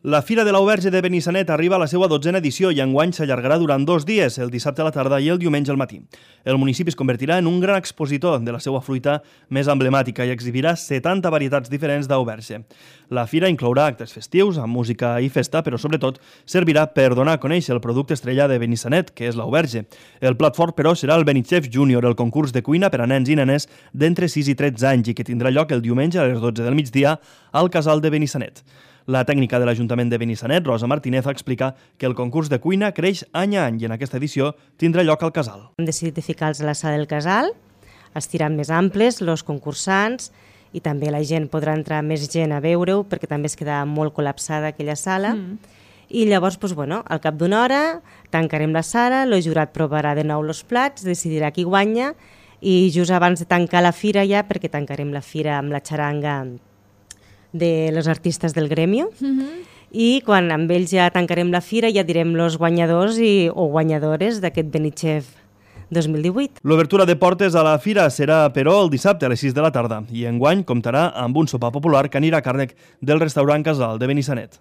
La Fira de l'Auberge de Benissanet arriba a la seva 12a edició i enguany s'allargarà durant 2 dies, el dissabte a la tarda i el diumenge al matí. El municipi es convertirà en un gran expositor de la seva fruita més emblemàtica i exhibirà 70 varietats diferents d'auberge. La fira inclourà actes festius, amb música i festa, però sobretot servirà per donar a conèixer el producte estrella de Benissanet, que és l'auberge. El plat fort, però, serà el Benichef Júnior, el concurs de cuina per a nens i nenes d'entre 6 i 13 anys i que tindrà lloc el diumenge a les 12 del migdia al Casal de Benissanet. La tècnica de l'Ajuntament de Benissanet, Rosa Martínez, explica que el concurs de cuina creix any a any i en aquesta edició tindrà lloc al Casal. Hem decidit de ficar-los a la sala del Casal, estiran més amples, els concursants, i també la gent podrà entrar més gent a veure-ho, perquè també es queda molt col·lapsada aquella sala. I llavors, al cap d'una hora, tancarem la sala, el jurat provarà de nou els plats, decidirà qui guanya, i just abans de tancar la fira ja, perquè tancarem la fira amb la xaranga de los artistes del gremio, i quan amb ells ja tancarem la fira ja direm els guanyadors o guanyadores d'aquest Benichef 2018. L'obertura de portes a la fira serà, però, el dissabte a les 6 de la tarda i enguany comptarà amb un sopar popular que anirà a càrrec del restaurant Casal de Benissanet.